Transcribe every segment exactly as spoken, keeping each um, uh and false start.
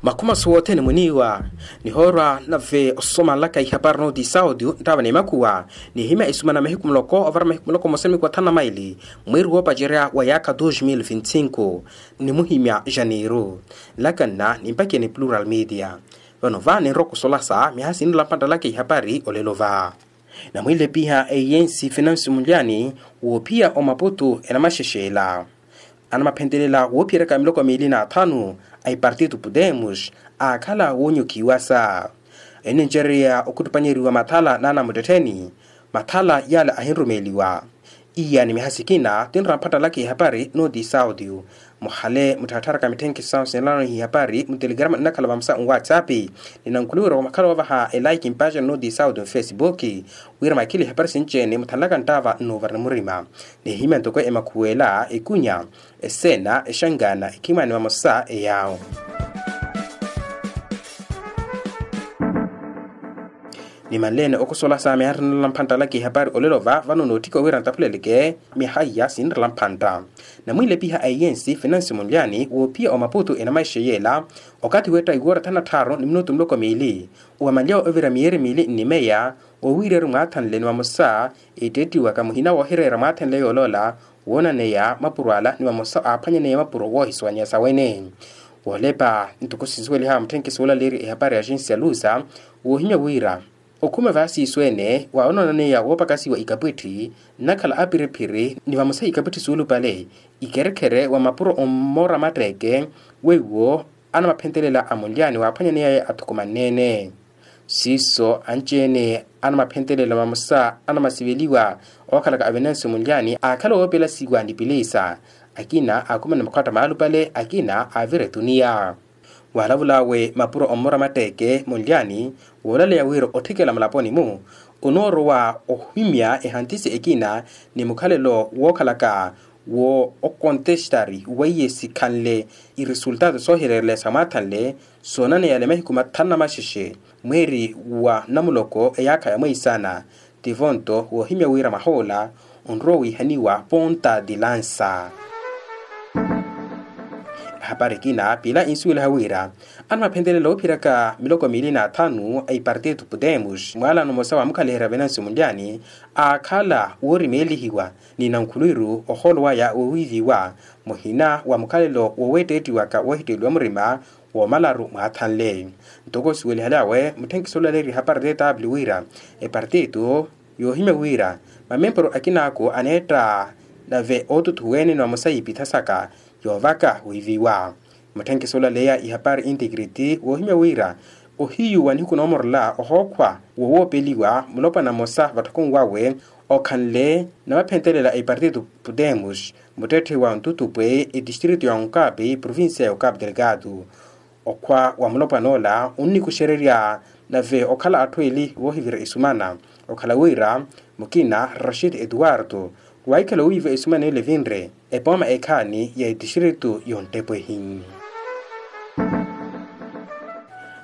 Makhumasu wothene muniiwa nihoorwa nave osomanlaka ihapari nooti saudi nttaava n'emakhuwa. Nihimya esumana mahiku muloko ovara mahiku muloko mmosa ni mahiku athanu na maili mweeri woopacerya wa yaakha dos mil vinti cinco. Nimuhimya janeiru nlaka nna nimpakiya ni plural media. Vano va ninrowa okusolasa miha sinrela mpanttalaka ihapari olelo va. Namwiilepiha eyensi finansi mulyani woophiya omaputu enamaxexela. Anamaphentelela woophiyeryaka miloko miili n'athanu a ipartito podemos aakhala woonyokhiwasa. Enincereya okhuttupanyeriwa mathala n'anamuttettheni. Mathala yaale ahinrumeeliwa. Iya ni miha sikina tinrowa mpattalaka ihapari nooti saudio. Muhale mutthattharaka mitthenkhiso sahu sinlano ihapari mutelegrama nnakhala vamosa nwatsapp. Ninankhuliwerya omakhala woovaha elaiki mpaaxani nooti saudio mfesibuki. Wira mwakhile ihapari sinci-ene muthanlaka nttaava nnuuvara ni murima. Nihimya ntoko emakhuwela ekunya eseena exangana ekhimani vamosa eyaawo. Nimanleene okusola saami anrinrela mphantta alaka ihapari olelo va vano nootthika owira ntaphuleleke. Miha iya sinrela mphantta. Namwiilepiha a eyensi finansi munlyani woophiya omaputu enamaixeyeela. Okathi weetta iwoora thana tthaaru ni minutu muloko miili owamanlyawe ovira miyeeri miili nnimeya wowiireru mwaathanle ni vamosa. Etteettiwaka muhina woohireera mwaathanle yooloola woonaneya mapuro ala ni vamosa aaphwanyaneya mapuro woohisuwanyeya sawene. Woolepa ntoko sinsuweliha mutthenke suulaleerya ehapari ya agensi ya lusa woohimya wira okhume vaasiiso ene waawononaneya woopakasiwa ikapwitthi nnakhala apiriphiri ni vamosa ikapwitthi suulupale. Ikherekhere wa mapuro ommoora matteeke weiwo anamaphentelela a munlyani waaphwanyaneyaye athukumanne-ene. Siiso anci-ene anamaphentelela vamosa anamasiveliwa ookhalaka avenansi munlyani aakhala woopelasiwa ni piliisa. Akina aakhumana makhwatta maalupale akina aavira etuniya. Waalavul'awe mapuro ommora matteeke munlyani woolaleya wira otthikela mulaponi-mu onoorowa ohimya ehantisi ekina ni mukhalelo wookhalaka wo okontestari weiye sikhanle iresultato soohireereleya sa mwaathanle. Soonaneya ale mahiku mathanu na maxexe mweeri wa namuloko eyaakha ya mweisana. Tivonto woohimya wira mwaha ola onrowa wiihaniwa ponta di lansa. Ehapari ekina piila insuweliha wira anamaphentelela oophiyeryaka miloko miili n'athanu a ipartito podemos mwaalano mmosa waamukhaliherya venansi munlyani aakhala woorimeelihiwa ni nankhulwiru ohoolo waya wowiiviwa muhina wa mukhalelo woweetteettiwaka woohitteeliwa murima woomalaru mwaathanle. Ntoko osuwelihaly'awe mutthenke suulaleerya ehapari tw wira epartito yoohimya wira mamempuru akinaaku aneetta nave ootuthuwa-ene ni vamosa iipitha saka yoovaka wiiviwa. Mutthenke suulaleya ihapari integrity woohimya wira ohiyu wa nihiku noomorela ohookhwa wowoopeliwa mulopwana mmosa vatthokoni wawe okhanle namaphentelela a ipartito podemos muttetthe wa ntutupwe etistrito ya onkapi provincia ya okapi delgado. Okhwa wa mulopwana ola onnikuxererya nave okhala atthu eli voohivira esumana okhala wira mukina rashid etuwarto waahikhala owiiva esumana ele evinre epooma ekhaani ya etistrito y'onttepehi.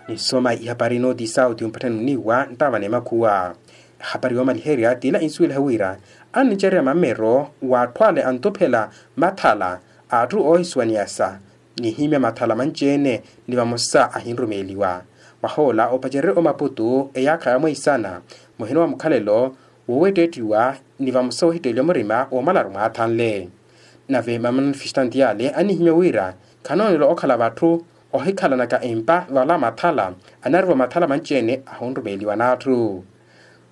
Nisoma ihapari nooti sauti ompatthani oniiwa nttaava n'emakhuwa. Ehapari yoomaliherya t'ila insuweliha wira annicererya mammero w'atthu ale antuphela mathala a atthu oohisuwaniyasa nihimya mathala manci-ene ni vamosa ahinrumeeliwa. Mwaha ola opacererye omaputu eyaakha ya mweisana muhina wa mukhalelo woweetteettiwa ni vamosa woohitteeliwa murima woomalaru mwaathanle. Nave mamanifestanti yaale annihimya wira khanoonela okhala vatthu ohikhalanaka empa vala mathala anariva mathala manci-ene ahunrumeeliwa n'atthu.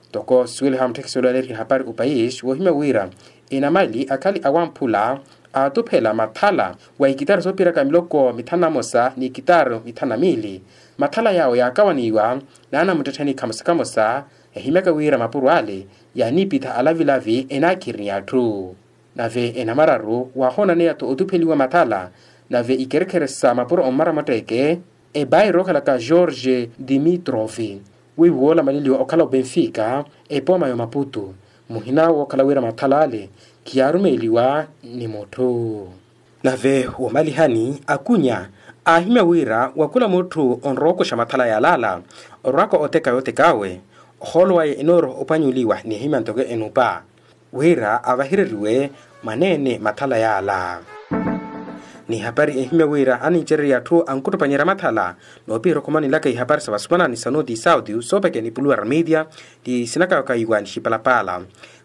Ntoko suweliha mutthekisi olaleerya ehapari opayisi woohimya wira enamali akhali awamphula aatuphela mathala wa ikitaru soopiraka miloko mithanu na mosa ni ikitaru mithanu na miili. Mathala yaawo yaakawaniwa n'anamuttettheni khamosa khamosa ehimyaka wira mapuro ale yaanipitha alavilavi enaakhiriniya atthu. Nave enamararu waahoonaneya-tho otupheliwa mathala nave ikerekhere sa mapuro ommara mutteeke ebairo okhalaka george dimitrovi weiwo woola maleliwa okhala obenfika epooma y'omaputu muhina wookhala wira mathala ale khiyaarumeeliwa ni mutthu. Nave womalihani akunya aahimya wira wa khula mutthu onrowa okuxa mathala yaalaala orwaka oteka yootek'awe ohoolo waye enooroha opanyuliwa n'ihimya ntoko enupa wira avahireriwe mwaneene mathala yaala. Ni hapari ehimya wira anincererya atthu ankuttupanyerya mathala, noopihira okhomanelaka ihapari sa vasumanani sa noti sautiyu soopeke ni puluwera media, ti sinakawakayiwa ni xipalapaala.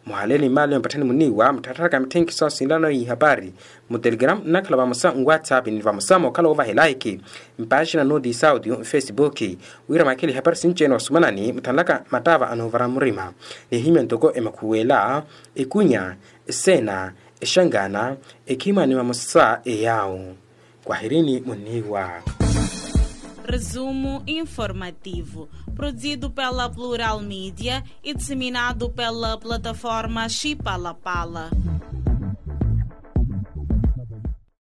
Muhaleeni mmaali mpatthani muniiwa mutthattharaka mitthenkhiso sinlano ihapari, mu telegram nnakhala vamosa nwatsapp ni vamosa mookhala woovahela eki, mpaaxina noti sautiyu nfesipuki, wira mwakhele ihapari sinci-ene vasumanani mutthanlaka mattaava anoovara murima. Nihimya ntoko emakhuwela, ekunya, eseena, exangana, ekhimani vamosa eyaawu. Kwahirini muniiwa. Resumo informativo, produzido pela Plural Media e disseminado pela plataforma Chipalapala.